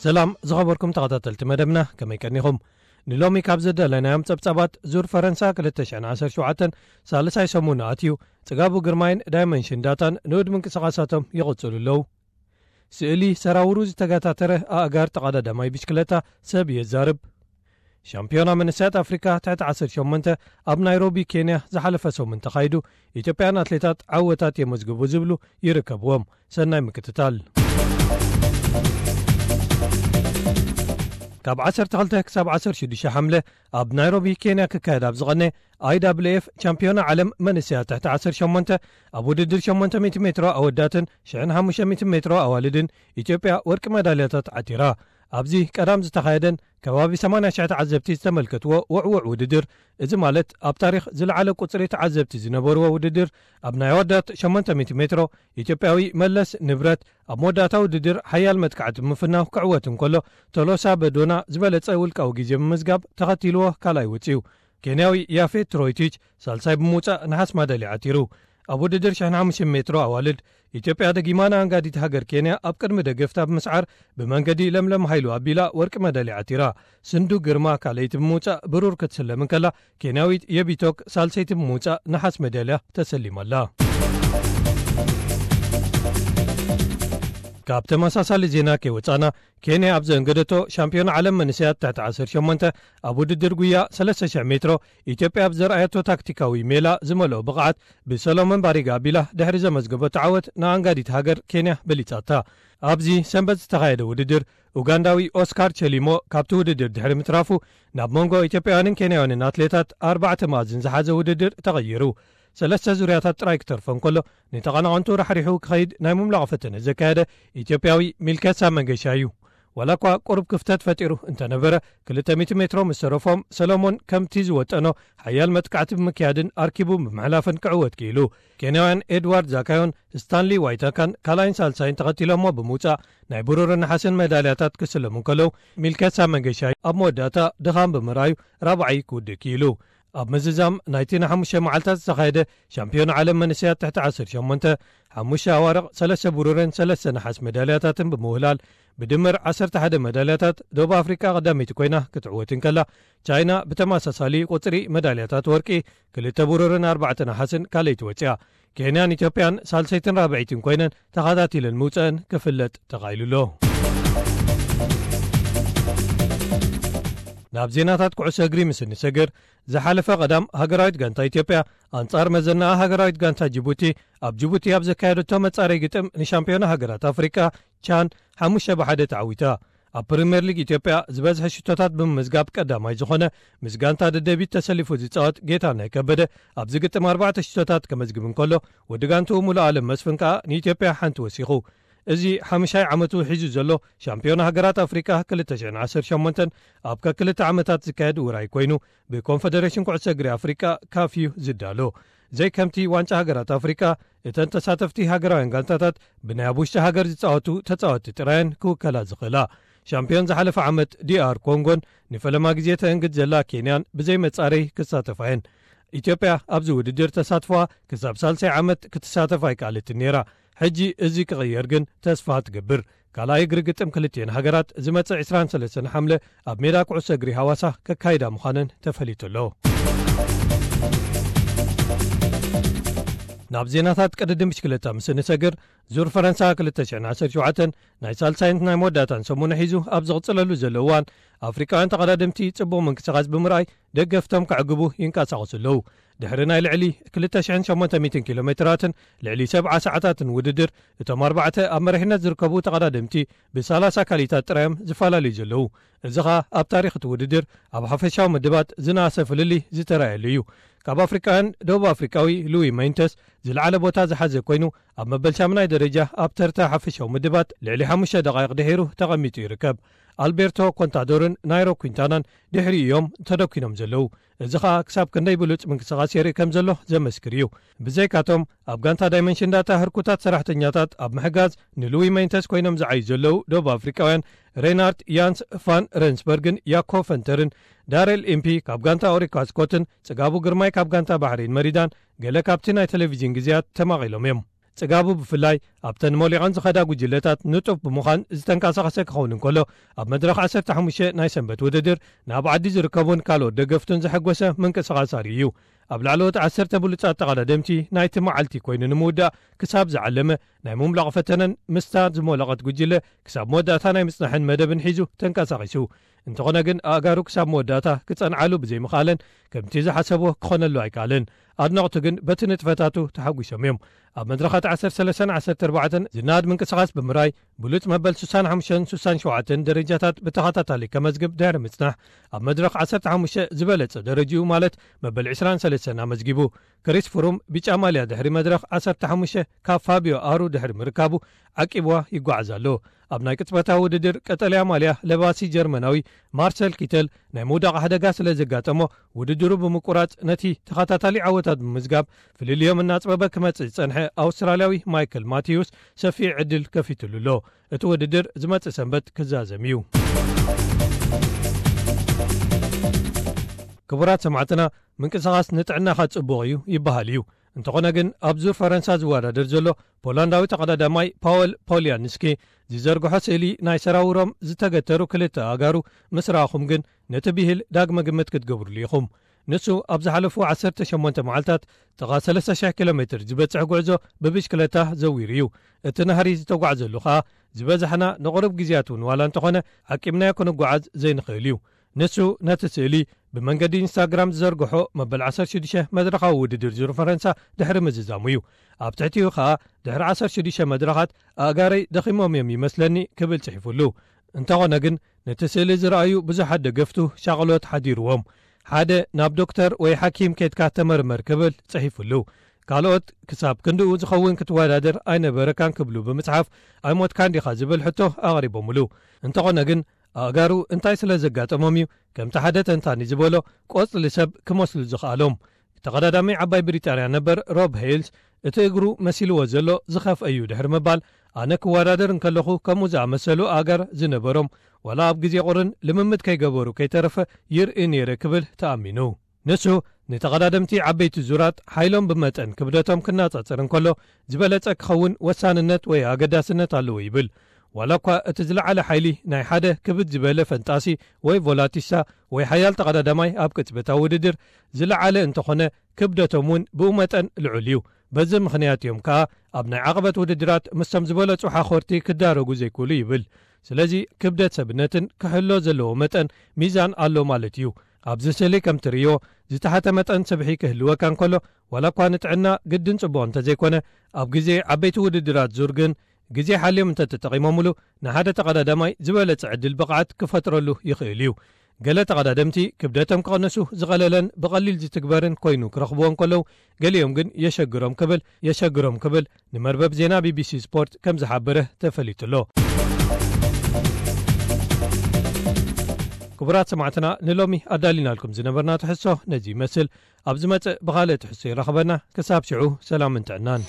ሰላም ዝኸበርኩም ተኸታተልቲ መደብና፣ ከመይ ቀኒኹም? ንሎሚ ካብ ዘዳለናዮም ጸብጻባት፣ ዙር ፈረንሳ ክልተ ሽሕን ዓሰርተ ሸውዓተን ሳልሳይ ሰሙን ኣትዩ። ጽጋቡ ግርማይን ዳይመንሽን ዳታን ንኡድ ምንቅስቓሳቶም ይቕጽሉ ኣለዉ። ስእሊ ሰራውሩ ዝተገታተረ ኣእጋር ተቐዳዳማይ ብሽክለታ ሰብ የዛርብ። ሻምፒዮና መንእሰያት ኣፍሪካ ትሕቲ ዓሰርተ ሸሞንተ ኣብ ናይሮቢ ኬንያ ዝሓለፈ ሰሙን ተኻይዱ። ኢትዮጵያን ኣትሌታት ዓወታት የመዝግቡ ዝብሉ ይርከብዎም። ሰናይ ምክትታል። ካብ ዓሰርተ ክልተ ክሳብ ዓሰርተ ሽዱሽተ ሓምለ ኣብ ናይሮቢ ኬንያ ክካየድ ኣብ ዝቐነ ኣይ ዳብልዩ ኤፍ ቻምፒዮና ዓለም መንእሰያት ትሕቲ ዓሰርተ ሸሞንተ ኣብ ውድድር ሸሞንተ ሚእቲ ሜትሮ ኣወዳትን ሽሕን ሓሙሽተ ሚእቲ ሜትሮ ኣዋልድን ኢትዮጵያ ወርቂ መዳልያታት ዓቲራ። ኣብዚ ቀዳም ዝተኻየደን ከባቢ ሰማንያ ሽሕ ተዓዘብቲ ዝተመልከትዎ ውዕውዕ ውድድር፣ እዚ ማለት ኣብ ታሪኽ ዝለዓለ ቁጽሪ ተዓዘብቲ ዝነበርዎ ውድድር፣ ኣብ ናይ ኣወዳት ሸሞንተ ሚእቲ ሜትሮ ኢትዮጵያዊ መለስ ንብረት ኣብ መወዳእታ ውድድር ሓያል መጥቃዕቲ ብምፍናው ክዕወት እንከሎ፣ ቶሎሳ በዶና ዝበለጸ ውልቃዊ ግዜ ብምዝጋብ ተኸቲልዎ ካልኣይ ወጺኡ። ኬንያዊ ያፌት ትሮይቲች ሳልሳይ ብምውጻእ ነሓስ ማዳልያ ዓቲሩ። ኣብ ውድድር ሽሕን ሓሙሽተ ሚእቲ ሜትሮ ኣዋልድ፣ ኢትዮጵያ ደጊማ ንኣንጋዲት ሃገር ኬንያ ኣብ ቅድሚ ደገፍታ ብምስዓር ብመንገዲ ለምለም ሃይሉ ኣቢላ ወርቂ መዳልያ ዓቲራ። ስንዱ ግርማ ካልኣይቲ ብምውጻእ ብሩር ክትስለም እንከላ፣ ኬንያዊት የቢቶክ ሳልሰይቲ ብምውጻእ ነሓስ መዳልያ ተሰሊማ ኣላ። ካብ ተመሳሳሊ ዜና ከይወጻና፣ ኬንያ ኣብ ዘንገደቶ ሻምፒዮን ዓለም መንእሰያት ትሕቲ ዓሰርተ ሸሞንተ ኣብ ውድድር ጉያ ሰለስተ ሽሕ ሜትሮ፣ ኢትዮጵያ ኣብ ዘርኣየቶ ታክቲካዊ ሜላ ዝመልኦ ብቕዓት ብሰሎሞን ባሪጋ ኣቢላ ድሕሪ ዘመዝገበቶ ዓወት ንኣንጋዲት ሃገር ኬንያ በሊጻታ። ኣብዚ ሰንበት ዝተኻየደ ውድድር፣ ኡጋንዳዊ ኦስካር ቸሊሞ ካብቲ ውድድር ድሕሪ ምትራፉ፣ ናብ መንጎ ኢትዮጵያውያንን ኬንያውያንን ኣትሌታት ኣርባዕተ መኣዝን ዝሓዘ ውድድር ተቐይሩ። ሰለስተ ዙርያታት ጥራይ ክተርፎ እንከሎ፣ ንተቐናቐንቱ ራሕሪሑ ክኸይድ ናይ ምምላቕ ፈተነ ዘካየደ ኢትዮጵያዊ ሚልኬሳ መንገሻ እዩ። ዋላ እኳ ቁሩብ ክፍተት ፈጢሩ እንተነበረ፣ ክልተ ሚእቲ ሜትሮ ምስ ተረፎም፣ ሰሎሞን ከምቲ ዝወጠኖ ሓያል መጥቃዕቲ ብምክያድን ኣርኪቡ ብምሕላፍን ክዕወት ክኢሉ። ኬንያውያን ኤድዋርድ ዛካዮን ስታንሊ ዋይታካን ካልኣይን ሳልሳይን ተኸቲሎሞ ብምውጻእ፣ ናይ ብሩርን ነሓስን መዳልያታት ክስለሙ እንከለዉ፣ ሚልኬሳ መንገሻይ ኣብ መወዳእታ ድኻም ብምርኣዩ ራብዓይ ክውድእ ክኢሉ። ኣብ ምዝዛም ናይቲ ንሓሙሽተ መዓልታት ዝተኻየደ ሻምፒዮን ዓለም መንእሰያት ትሕቲ ዓሰርተ ሸሞንተ፣ ሓሙሽተ ኣዋርቕ፣ ሰለስተ ብሩርን ሰለስተ ነሓስ መዳልያታትን ብምውህላል፣ ብድምር ዓሰርተ ሓደ መዳልያታት፣ ደቡብ ኣፍሪቃ ቀዳመይቲ ኮይና ክትዕወት እንከላ፣ ቻይና ብተመሳሳሊ ቁጽሪ መዳልያታት ወርቂ፣ ክልተ ብሩርን ኣርባዕተ ነሓስን ካልኣይቲ ወጺኣ። ኬንያን ኢትዮጵያን ሳልሰይትን ራብዐይትን ኮይነን ተኸታቲለን ምውጸአን ክፍለጥ ተኻኢሉ ኣሎ። ናብ ዜናታት ኩዕሶ እግሪ ምስ እንሰግር፣ ዝሓለፈ ቀዳም ሃገራዊት ጋንታ ኢትዮጵያ ኣንጻር መዘናኣ ሃገራዊት ጋንታ ጅቡቲ ኣብ ጅቡቲ ኣብ ዘካየደቶ መጻረይ ግጥም ንሻምፒዮና ሃገራት ኣፍሪቃ ቻን ሓሙሽተ ብሓደ ተዓዊታ። ኣብ ፕሪምየር ሊግ ኢትዮጵያ ዝበዝሐ ሽቶታት ብምምዝጋብ ቀዳማይ ዝኾነ፣ ምስ ጋንታ ደደቢት ተሰሊፉ ዝጻወት ጌታነህ ከበደ፣ ኣብዚ ግጥም ኣርባዕተ ሽቶታት ከመዝግብ እንከሎ፣ ወዲ ጋንትኡ ሙሉኣለም መስፍን ከኣ ንኢትዮጵያ ሓንቲ ወሲኹ። እዚ ሓምሻይ ዓመቱ ሒዙ ዘሎ ሻምፒዮን ሃገራት ኣፍሪቃ ክልተ ሽሕን ዓሰርተ ሸሞንተን ኣብ ከክልተ ዓመታት ዝካየድ ውራይ ኮይኑ፣ ብኮንፈደሬሽን ኩዕሶ እግሪ ኣፍሪቃ፣ ካፍ፣ እዩ ዝዳሎ። ዘይከምቲ ዋንጫ ሃገራት ኣፍሪቃ፣ እተን ተሳተፍቲ ሃገራውያን ጋንታታት ብናይ ኣብ ውሽጢ ሃገር ዝጻወቱ ተጻወትቲ ጥራየን ክውከላ ዝኽእላ። ሻምፒዮን ዝሓለፈ ዓመት ዲኣር ኮንጎን ንፈለማ ግዜ ተእንግድ ዘላ ኬንያን ብዘይ መጻረይ ክሳተፋ እየን። ኢትዮጵያ ኣብዚ ውድድር ተሳትፎኣ ክሳብ ሳልሳይ ዓመት ክትሳተፍ ኣይከኣለትን ነይራ። ሕጂ እዚ ክቕየር ግን ተስፋ ትገብር። ካልኣይ እግሪ ግጥም ክልቲኤን ሃገራት ዝመጽእ ዕስራን ሰለስተን ሓምለ ኣብ ሜዳ ኩዕሶ እግሪ ሃዋሳ ከካይዳ ምዃነን ተፈሊጡ ኣሎ። ናብ ዜናታት ቅድድም ብሽክለታ ምስ እንሰግር፣ ዙር ፈረንሳ ክልተ ሽሕን ዓሰርተ ሸውዓተን ናይ ሳልሳይን ናይ መወዳእታን ሰሙን ሒዙ ኣብ ዝቕጽለሉ ዘሎ እዋን፣ ኣፍሪቃውያን ተቐዳደምቲ ጽቡቕ ምንቅስቓስ ብምርኣይ ደገፍቶም ከዕግቡ ይንቀሳቐሱ ኣለዉ። ድሕሪ ናይ ልዕሊ ክልተ ሽሕን ሸሞንተ ሚእትን ኪሎ ሜትራትን ልዕሊ ሰብዓ ሰዓታትን ውድድር፣ እቶም ኣርባዕተ ኣብ መሪሕነት ዝርከቡ ተቐዳደምቲ ብሰላሳ ካልኢታት ጥራዮም ዝፈላለዩ ዘለዉ። እዚ ኸኣ ኣብ ታሪኽ እቲ ውድድር ኣብ ሓፈሻዊ ምድባት ዝነኣሰ ፍልልይ ዝተራእየሉ እዩ። ካብ ኣፍሪቃውያን፣ ደቡብ ኣፍሪቃዊ ሉዊ ሜንተስ ዝለዓለ ቦታ ዝሓዘ ኮይኑ፣ ኣብ መበል ሻምናይ ደረጃ ኣብ ተርታ ሓፈሻዊ ምድባት ልዕሊ ሓሙሽተ ደቓይቕ ድሒሩ ተቐሚጡ ይርከብ። ኣልቤርቶ ኮንታዶርን ናይሮ ኩንታናን ድሕሪ እዮም ተደኪኖም ዘለዉ። እዚ ኸኣ ክሳብ ክንደይ ብሉጽ ምንቅስቓስ የርኢ ከም ዘሎ ዘመስክር እዩ። ብዘይካቶም፣ ኣብ ጋንታ ዳይመንሽን ዳታ ህርኩታት ሰራሕተኛታት ኣብ ምሕጋዝ ንሉዊ ሜንተስ ኮይኖም ዝዓዩ ዘለዉ ደቡብ ኣፍሪቃውያን ሬናርድ ያንስ ፋን ረንስበርግን ያኮ ፈንተርን፣ ዳሬል ኢምፒ ካብ ጋንታ ኦሪካ ስኮትን ጽጋቡ ግርማይ ካብ ጋንታ ባሕሬን መሪዳን ገለ ካብቲ ናይ ቴሌቪዥን ግዜያት ተማቒሎም እዮም። ጽጋቡ ብፍላይ ኣብተን ሞሊቐን ዝኸዳ ጉጅለታት ንጡፍ ብምዃን ዝተንቀሳቐሰ ክኸውን እንከሎ፣ ኣብ መድረኽ ዓሰርተ ሓሙሽተ ናይ ሰንበት ውድድር ናብ ዓዲ ዝርከቡን ካልኦት ደገፍቱን ዘሐጎሰ ምንቅስቓስ ኣርእዩ እዩ። ኣብ ላዕለዎት ዓሰርተ ብሉጻት ተቐዳደምቲ ናይቲ መዓልቲ ኮይኑ ንምውዳእ ክሳብ ዝዓለመ ናይ ምምላቕ ፈተነን ምስታ ዝሞለቐት ጉጅለ ክሳብ መወዳእታ ናይ ምጽናሕን መደብን ሒዙ ተንቀሳቒሱ። እንተኾነ ግን ኣእጋሩ ክሳብ መወዳእታ ክጸንዓሉ ብዘይምኽኣለን ከምቲ ዝሓሰቦ ክኾነሉ ኣይከኣለን። ኣድነቕቱ ግን በቲ ንጥፈታቱ ተሓጒሶም እዮም። ኣብ መድረኻት ዓሰርተ ሰለስተን ዓሰርተ ኣርባዕተን ዝናድ ምንቅስቓስ ብምራይ ብሉጽ መበል ሱሳን ሓሙሽተን ሱሳን ሸውዓተን ደረጃታት ብተኸታታሊ ከመዝግብ ድሕሪ ምጽናሕ፣ ኣብ መድረኽ ዓሰርተ ሓሙሽተ ዝበለጸ ደረጅኡ ማለት መበል ዕስራን ሰለስተን ኣመዝጊቡ። ክሪስ ፍሩም ብጫ ማልያ ድሕሪ መድረኽ ዓሰርተ ሓሙሽተ ካብ ፋቢዮ ኣሩ ድሕሪ ምርካቡ ዓቂብዋ ይጓዓዝ ኣሎ። ኣብ ናይ ቅጽበታዊ ውድድር ቀጠልያ ማልያ ለባሲ ጀርመናዊ ማርሰል ኪተል ናይ ምውዳቕ ሓደጋ ስለ ዘጋጠሞ፣ ውድድሩ ብምቁራጽ ነቲ ተኸታታሊ ዓወታት ብምዝጋብ ፍልልዮም እናጽበበ ክመጽእ ዝጸንሐ ኣውስትራልያዊ ማይክል ማቴዎስ ሰፊሕ ዕድል ከፊትሉ ኣሎ። እቲ ውድድር ዝመጽእ ሰንበት ክዛዘም እዩ። ክቡራት ሰማዕትና፣ ምንቅስቓስ ንጥዕናኻ ጽቡቕ እዩ ይበሃል እዩ። እንተኾነ ግን ኣብ ዙር ፈረንሳ ዝወዳደር ዘሎ ፖላንዳዊ ተቐዳዳማይ ፓወል ፖሊያንስኪ ዝዘርግሖ ስእሊ ናይ ሰራውሮም ዝተገተሩ ክልተ ኣእጋሩ ምስ ረኣኹም ግን ነቲ ብሂል ዳግመ ግምት ክትገብርሉ ኢኹም። ንሱ ኣብ ዝሓለፉ ዓሰርተ ሸሞንተ መዓልታት ጥቓ ሰለስተ ሽሕ ኪሎ ሜትር ዝበጽሕ ጉዕዞ ብብሽክለታ ዘዊሩ እዩ። እቲ ናህሪ ዝተጓዕዘሉ ኸኣ ዝበዛሕና ንቑሩብ ግዜያት እውን ዋላ እንተኾነ ዓቂብናዮ ክንጓዓዝ ዘይንኽእል እዩ። ንሱ ነቲ ስእሊ ብመንገዲ ኢንስታግራም ዝዘርግሖ መበል ዓሰርተ ሽዱሽተ መድረኻዊ ውድድር ዙር ፈረንሳ ድሕሪ ምዝዛሙ እዩ። ኣብ ትሕቲኡ ኸኣ ድሕሪ ዓሰርተ ሽዱሽተ መድረኻት ኣእጋረይ ደኺሞም እዮም ይመስለኒ ክብል ጽሒፉሉ። እንተኾነ ግን ነቲ ስእሊ ዝረኣዩ ብዙሓት ደገፍቱ ሻቕሎት ሓዲርዎም። ሓደ ናብ ዶክተር ወይ ሓኪም ኬድካ ተመርመር ክብል ጽሒፉሉ። ካልኦት ክሳብ ክንድኡ ዝኸውን ክትወዳደር ኣይነበረካን ክብሉ ብምጽሓፍ ኣይሞትካን ዲኻ ዝብል ሕቶ ኣቕሪቦምሉ። እንተኾነ ግን ኣእጋሩ እንታይ ስለ ዘጋጠሞም እዩ ከምቲ ሓደ ተንታኒ ዝበሎ ቆጽሊ ሰብ ክመስሉ ዝኽኣሎም። ተቐዳዳሚ ዓባይ ብሪጣንያ ነበር ሮብ ሄይልስ እቲ እግሩ መሲልዎ ዘሎ ዝኸፍአ እዩ ድሕሪ ምባል ኣነ ክወዳደር እንከለኹ ከምኡ ዝኣመሰሉ ኣእጋር ዝነበሮም ዋላ ኣብ ግዜ ቁርን ልምምድ ከይገበሩ ከይተረፈ ይርኢ ነይረ ክብል ተኣሚኑ። ንሱ ንተቐዳደምቲ ዓበይቲ ዙራት ሓይሎም ብመጠን ክብደቶም ክነጻጸር እንከሎ ዝበለጸ ክኸውን ወሳንነት ወይ ኣገዳስነት ኣለዎ ይብል። ዋላ እኳ እቲ ዝለዓለ ሓይሊ ናይ ሓደ ክብድ ዝበለ ፈንጣሲ ወይ ቮላቲሳ ወይ ሓያል ተቐዳዳማይ ኣብ ቅጽበታዊ ውድድር ዝለዓለ እንተኾነ ክብደቶም እውን ብኡ መጠን ልዑል እዩ። በዚ ምኽንያት እዮም ከኣ ኣብ ናይ ዓቐበት ውድድራት ምስቶም ዝበለጹ ሓኾርቲ ክዳረጉ ዘይክእሉ ይብል። ስለዚ ክብደት ሰብነትን ክሕሎ ዘለዎ መጠን ሚዛን ኣሎ ማለት እዩ። ኣብዚ ስእሊ ከም ትርእዮ ዝተሓተ መጠን ስብሒ ክህልወካ እንከሎ ዋላ እኳ ንጥዕና ግድን ጽቡቕ እንተዘይኮነ ኣብ ግዜ ዓበይቲ ውድድራት ዙር ግን ግዜ ሓልዮም እንተተጠቒሞምሉ ንሓደ ተቐዳዳማይ ዝበለጸ ዕድል ብቕዓት ክፈጥረሉ ይኽእል እዩ። ገለ ተቐዳደምቲ ክብደቶም ክቐንሱ ዝቐለለን ብቐሊል ዝትግበርን ኮይኑ ክረኽብዎ እንከለዉ ገሊኦም ግን የሸግሮም ክብል የሸግሮም ክብል ንመርበብ ዜና ቢቢሲ ስፖርት ከም ዝሓበረ ተፈሊጡ ኣሎ። ክቡራት ሰማዕትና ንሎሚ ኣዳሊናልኩም ዝነበርና ትሕሶ ነዚ ይመስል። ኣብ ዝመጽእ ብኻልእ ትሕሶ ይራኽበና። ክሳብ ሽዑ ሰላምን ጥዕናን።